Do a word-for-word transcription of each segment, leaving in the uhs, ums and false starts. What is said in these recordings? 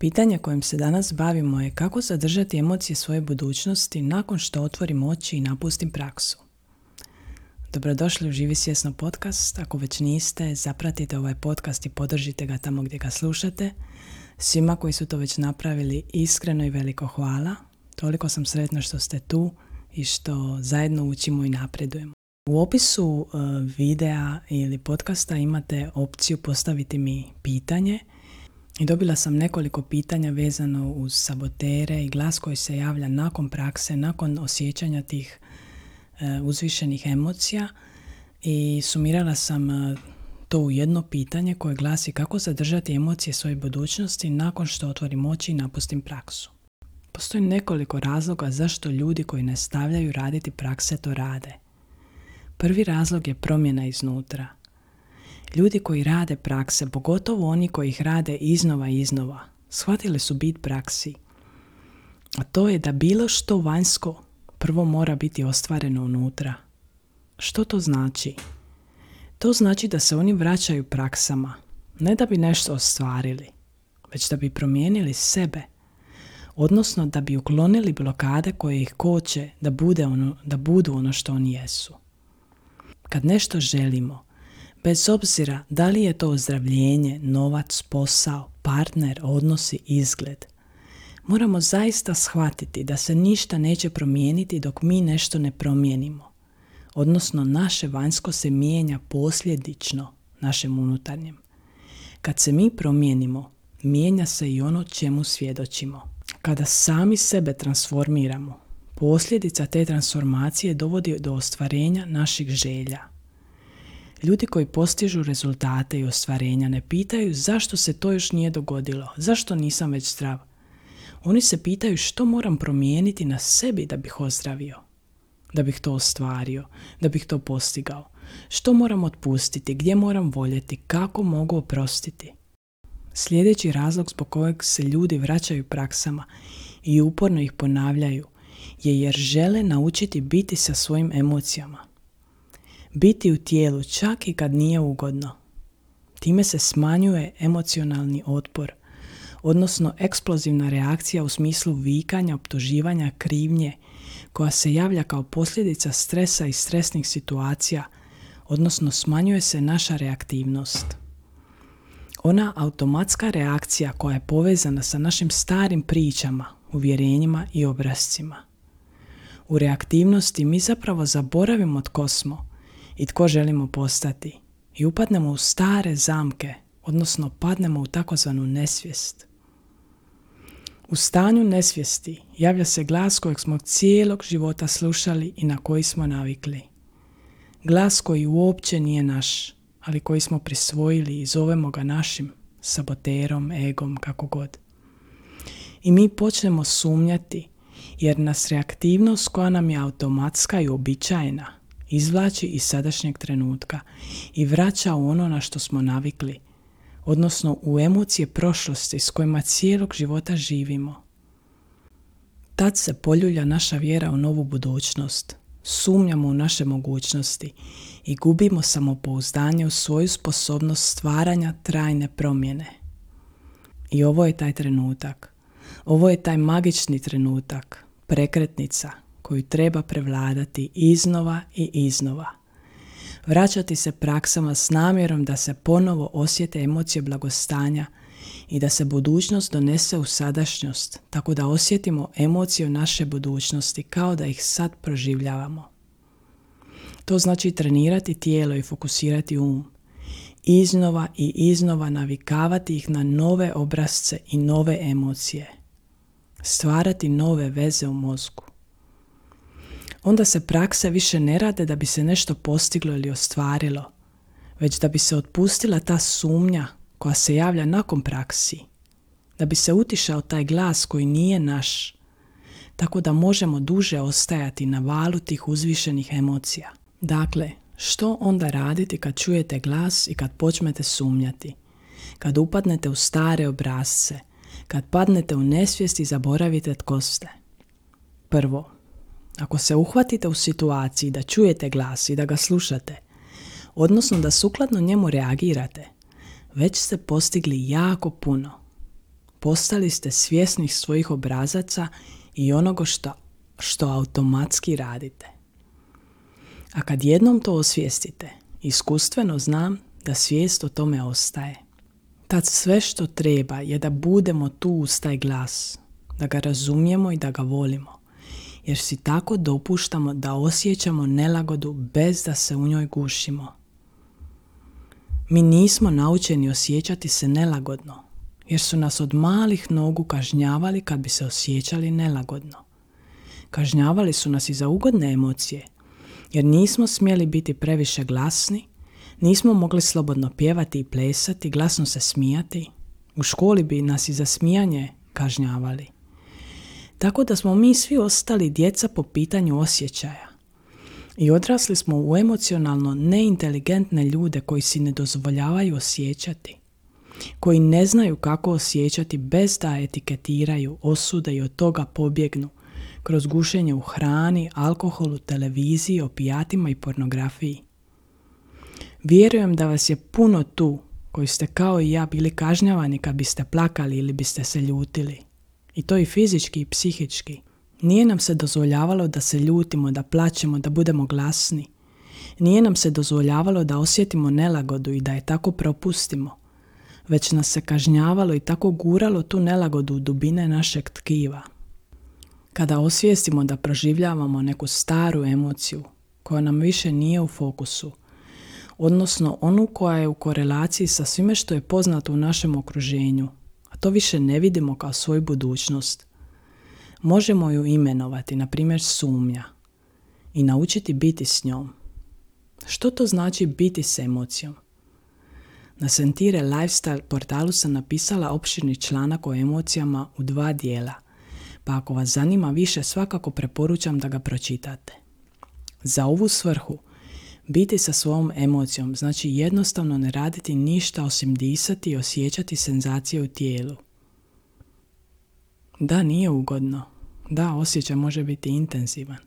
Pitanje kojim se danas bavimo je kako zadržati emocije svoje budućnosti nakon što otvorim oči i napustim praksu. Dobrodošli u Živi svjesno podcast. Ako već niste, zapratite ovaj podcast i podržite ga tamo gdje ga slušate. Svima koji su to već napravili, iskreno i veliko hvala. Toliko sam sretna što ste tu i što zajedno učimo i napredujemo. U opisu uh, videa ili podcasta imate opciju postaviti mi pitanje i dobila sam nekoliko pitanja vezano uz sabotere i glas koji se javlja nakon prakse, nakon osjećanja tih uh, uzvišenih emocija i sumirala sam uh, to u jedno pitanje koje glasi kako zadržati emocije svoje budućnosti nakon što otvorim oči i napustim praksu. Postoji nekoliko razloga zašto ljudi koji ne stavljaju raditi prakse to rade. Prvi razlog je promjena iznutra. Ljudi koji rade prakse, pogotovo oni koji ih rade iznova i iznova, shvatili su bit praksi. A to je da bilo što vanjsko prvo mora biti ostvareno unutra. Što to znači? To znači da se oni vraćaju praksama, ne da bi nešto ostvarili, već da bi promijenili sebe, odnosno da bi uklonili blokade koje ih koče da, bude ono, da budu ono što oni jesu. Kad nešto želimo, bez obzira da li je to ozdravljenje, novac, posao, partner, odnosi, izgled, moramo zaista shvatiti da se ništa neće promijeniti dok mi nešto ne promijenimo, odnosno naše vanjsko se mijenja posljedično našem unutarnjem. Kad se mi promijenimo, mijenja se i ono čemu svjedočimo. Kada sami sebe transformiramo, posljedica te transformacije dovodi do ostvarenja naših želja. Ljudi koji postižu rezultate i ostvarenja ne pitaju zašto se to još nije dogodilo, zašto nisam već zdrav. Oni se pitaju što moram promijeniti na sebi da bih ozdravio, da bih to ostvario, da bih to postigao. Što moram otpustiti, gdje moram voljeti, kako mogu oprostiti. Sljedeći razlog zbog kojeg se ljudi vraćaju praksama i uporno ih ponavljaju je jer žele naučiti biti sa svojim emocijama. Biti u tijelu čak i kad nije ugodno. Time se smanjuje emocionalni otpor, odnosno eksplozivna reakcija u smislu vikanja, optuživanja, krivnje, koja se javlja kao posljedica stresa i stresnih situacija, odnosno smanjuje se naša reaktivnost. Ona automatska reakcija koja je povezana sa našim starim pričama, uvjerenjima i obrascima. U reaktivnosti mi zapravo zaboravimo tko smo i tko želimo postati i upadnemo u stare zamke, odnosno padnemo u takozvanu nesvijest. U stanju nesvijesti javlja se glas kojeg smo cijelog života slušali i na koji smo navikli. Glas koji uopće nije naš, ali koji smo prisvojili i zovemo ga našim, saboterom, egom, kako god. I mi počnemo sumnjati jer nas reaktivnost koja nam je automatska i uobičajena izvlači iz sadašnjeg trenutka i vraća u ono na što smo navikli, odnosno u emocije prošlosti s kojima cijelog života živimo. Tad se poljulja naša vjera u novu budućnost, sumnjamo u naše mogućnosti i gubimo samopouzdanje u svoju sposobnost stvaranja trajne promjene. I ovo je taj trenutak. Ovo je taj magični trenutak, prekretnica koju treba prevladati iznova i iznova. Vraćati se praksama s namjerom da se ponovo osjete emocije blagostanja i da se budućnost donese u sadašnjost, tako da osjetimo emocije naše budućnosti kao da ih sad proživljavamo. To znači trenirati tijelo i fokusirati um. Iznova i iznova navikavati ih na nove obrasce i nove emocije. Stvarati nove veze u mozgu. Onda se prakse više ne rade da bi se nešto postiglo ili ostvarilo, već da bi se otpustila ta sumnja koja se javlja nakon praksi, da bi se utišao taj glas koji nije naš, tako da možemo duže ostajati na valu tih uzvišenih emocija. Dakle, što onda raditi kad čujete glas i kad počnete sumnjati, kad upadnete u stare obrasce, kad padnete u nesvijest i zaboravite tko ste? Prvo, ako se uhvatite u situaciji da čujete glas i da ga slušate, odnosno da sukladno njemu reagirate, već ste postigli jako puno. postali ste svjesni svojih obrazaca i onoga što, što automatski radite. A kad jednom to osvijestite, iskustveno znam da svijest o tome ostaje. Tad sve što treba je da budemo tu uz taj glas, da ga razumijemo i da ga volimo, jer si tako dopuštamo da osjećamo nelagodu bez da se u njoj gušimo. Mi nismo naučeni osjećati se nelagodno, jer su nas od malih nogu kažnjavali kad bi se osjećali nelagodno. Kažnjavali su nas i za ugodne emocije, jer nismo smjeli biti previše glasni, nismo mogli slobodno pjevati i plesati, glasno se smijati. U školi bi nas i za smijanje kažnjavali. Tako da smo mi svi ostali djeca po pitanju osjećaja. I odrasli smo u emocionalno neinteligentne ljude koji si ne dozvoljavaju osjećati, koji ne znaju kako osjećati bez da etiketiraju, osude i od toga pobjegnu kroz gušenje u hrani, alkoholu, televiziji, opijatima i pornografiji. Vjerujem da vas je puno tu koji ste kao i ja bili kažnjavani kad biste plakali ili biste se ljutili. I to i fizički i psihički. Nije nam se dozvoljavalo da se ljutimo, da plačemo, da budemo glasni. Nije nam se dozvoljavalo da osjetimo nelagodu i da je tako propustimo. Već nas se kažnjavalo i tako guralo tu nelagodu u dubine našeg tkiva. Kada osvijestimo da proživljavamo neku staru emociju koja nam više nije u fokusu, odnosno onu koja je u korelaciji sa svime što je poznato u našem okruženju, a to više ne vidimo kao svoju budućnost, možemo ju imenovati, na primjer sumnja, i naučiti biti s njom. Što to znači biti s emocijom? Na Sentire Lifestyle portalu sam napisala opširni članak o emocijama u dva dijela, pa ako vas zanima više, svakako preporučam da ga pročitate. Za ovu svrhu, biti sa svojom emocijom znači jednostavno ne raditi ništa osim disati i osjećati senzacije u tijelu. Da, nije ugodno. Da, osjećaj može biti intenzivan.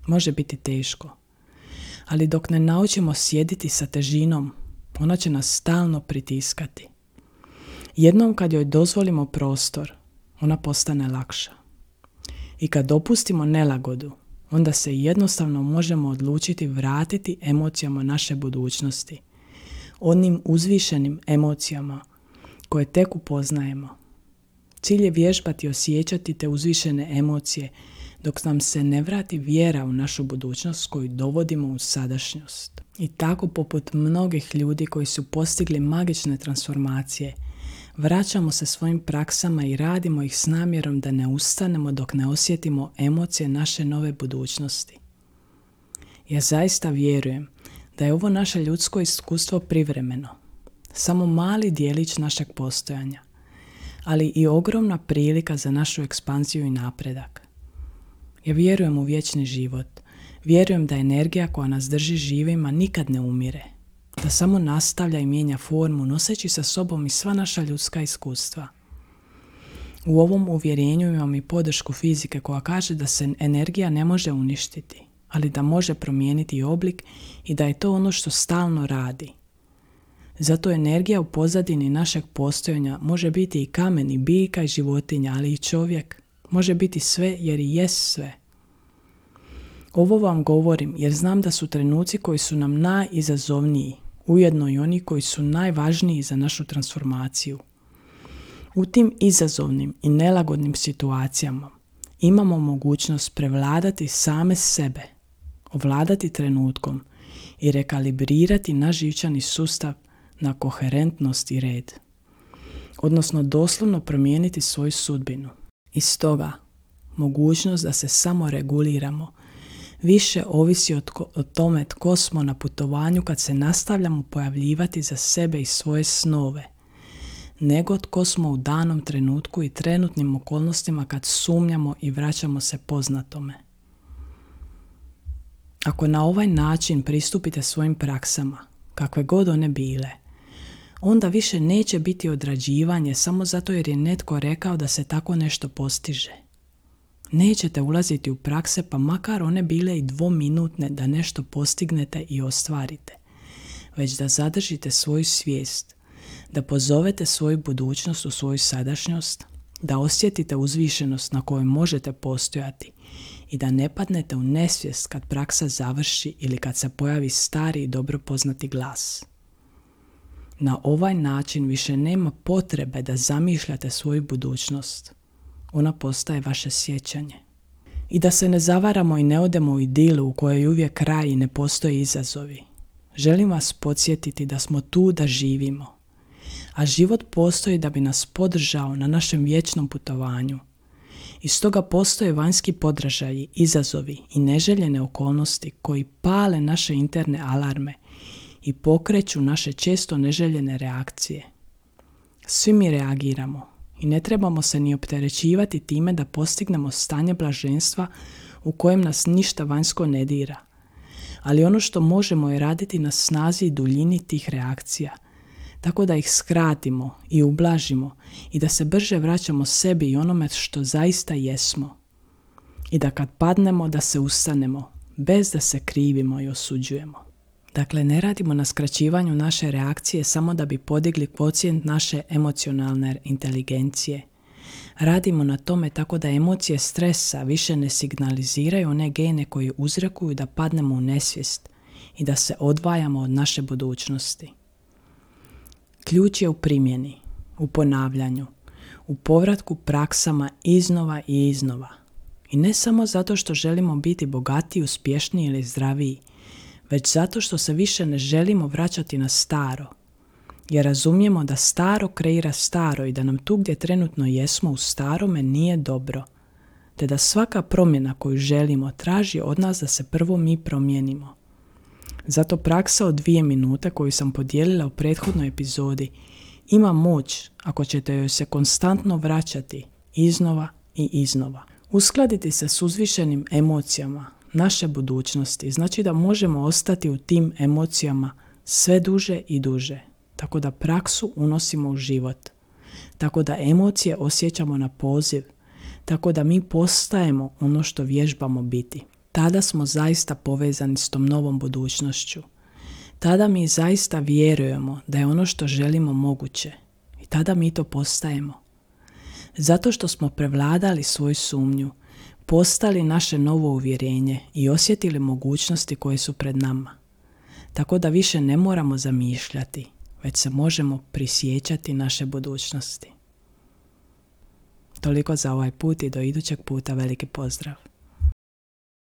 Može biti teško. Ali dok ne naučimo sjediti sa težinom, ona će nas stalno pritiskati. Jednom kad joj dozvolimo prostor, ona postane lakša. I kad dopustimo nelagodu, onda se jednostavno možemo odlučiti vratiti emocijama naše budućnosti, onim uzvišenim emocijama koje tek upoznajemo. Cilj je vježbati osjećati te uzvišene emocije dok nam se ne vrati vjera u našu budućnost koju dovodimo u sadašnjost. I tako poput mnogih ljudi koji su postigli magične transformacije, vraćamo se svojim praksama i radimo ih s namjerom da ne ustanemo dok ne osjetimo emocije naše nove budućnosti. Ja zaista vjerujem da je ovo naše ljudsko iskustvo privremeno, samo mali dijelić našeg postojanja, ali i ogromna prilika za našu ekspanziju i napredak. Ja vjerujem u vječni život, vjerujem da energija koja nas drži živima nikad ne umire, da samo nastavlja i mijenja formu noseći sa sobom i sva naša ljudska iskustva. U ovom uvjerenju imam i podršku fizike koja kaže da se energija ne može uništiti, ali da može promijeniti oblik i da je to ono što stalno radi. Zato energija u pozadini našeg postojanja može biti i kamen, i biljka, i životinja, ali i čovjek. Može biti sve jer i jest sve. Ovo vam govorim jer znam da su trenuci koji su nam najizazovniji, ujedno i oni koji su najvažniji za našu transformaciju. U tim izazovnim i nelagodnim situacijama imamo mogućnost prevladati same sebe, ovladati trenutkom i rekalibrirati naš živčani sustav na koherentnost i red, odnosno doslovno promijeniti svoju sudbinu. I stoga, mogućnost da se samo reguliramo više ovisi o, tko, o tome tko smo na putovanju kad se nastavljamo pojavljivati za sebe i svoje snove, nego tko smo u danom trenutku i trenutnim okolnostima kad sumnjamo i vraćamo se poznatome. Ako na ovaj način pristupite svojim praksama, kakve god one bile, onda više neće biti odrađivanje samo zato jer je netko rekao da se tako nešto postiže. Nećete ulaziti u prakse pa makar one bile i dvominutne da nešto postignete i ostvarite, već da zadržite svoju svijest, da pozovete svoju budućnost u svoju sadašnjost, da osjetite uzvišenost na kojoj možete postojati i da ne padnete u nesvijest kad praksa završi ili kad se pojavi stari i dobro poznati glas. Na ovaj način više nema potrebe da zamišljate svoju budućnost. Ona postaje vaše sjećanje. I da se ne zavaramo i ne odemo u idilu u kojoj je uvijek kraj i ne postoje izazovi. Želim vas podsjetiti da smo tu da živimo, a život postoji da bi nas podržao na našem vječnom putovanju. I stoga postoje vanjski podražaji, izazovi i neželjene okolnosti koji pale naše interne alarme i pokreću naše često neželjene reakcije. Svi mi reagiramo i ne trebamo se ni opterećivati time da postignemo stanje blaženstva u kojem nas ništa vanjsko ne dira. Ali ono što možemo je raditi na snazi i duljini tih reakcija, tako da ih skratimo i ublažimo i da se brže vraćamo sebi i onome što zaista jesmo. I da kad padnemo da se ustanemo, bez da se krivimo i osuđujemo. Dakle, ne radimo na skraćivanju naše reakcije samo da bi podigli kvocijent naše emocionalne inteligencije. Radimo na tome tako da emocije stresa više ne signaliziraju one gene koji uzrokuju da padnemo u nesvijest i da se odvajamo od naše budućnosti. Ključ je u primjeni, u ponavljanju, u povratku praksama iznova i iznova. I ne samo zato što želimo biti bogatiji, uspješniji ili zdraviji, već zato što se više ne želimo vraćati na staro. Jer razumijemo da staro kreira staro i da nam tu gdje trenutno jesmo u starome nije dobro. Te da svaka promjena koju želimo traži od nas da se prvo mi promijenimo. Zato praksa od dvije minute koju sam podijelila u prethodnoj epizodi ima moć ako ćete joj se konstantno vraćati iznova i iznova. Uskladiti se s uzvišenim emocijama naše budućnosti znači da možemo ostati u tim emocijama sve duže i duže, tako da praksu unosimo u život, tako da emocije osjećamo na poziv, tako da mi postajemo ono što vježbamo biti. Tada smo zaista povezani s tom novom budućnošću. Tada mi zaista vjerujemo da je ono što želimo moguće i tada mi to postajemo. Zato što smo prevladali svoju sumnju, postali naše novo uvjerenje i osjetili mogućnosti koje su pred nama. Tako da više ne moramo zamišljati, već se možemo prisjećati naše budućnosti. Toliko za ovaj put i do idućeg puta veliki pozdrav.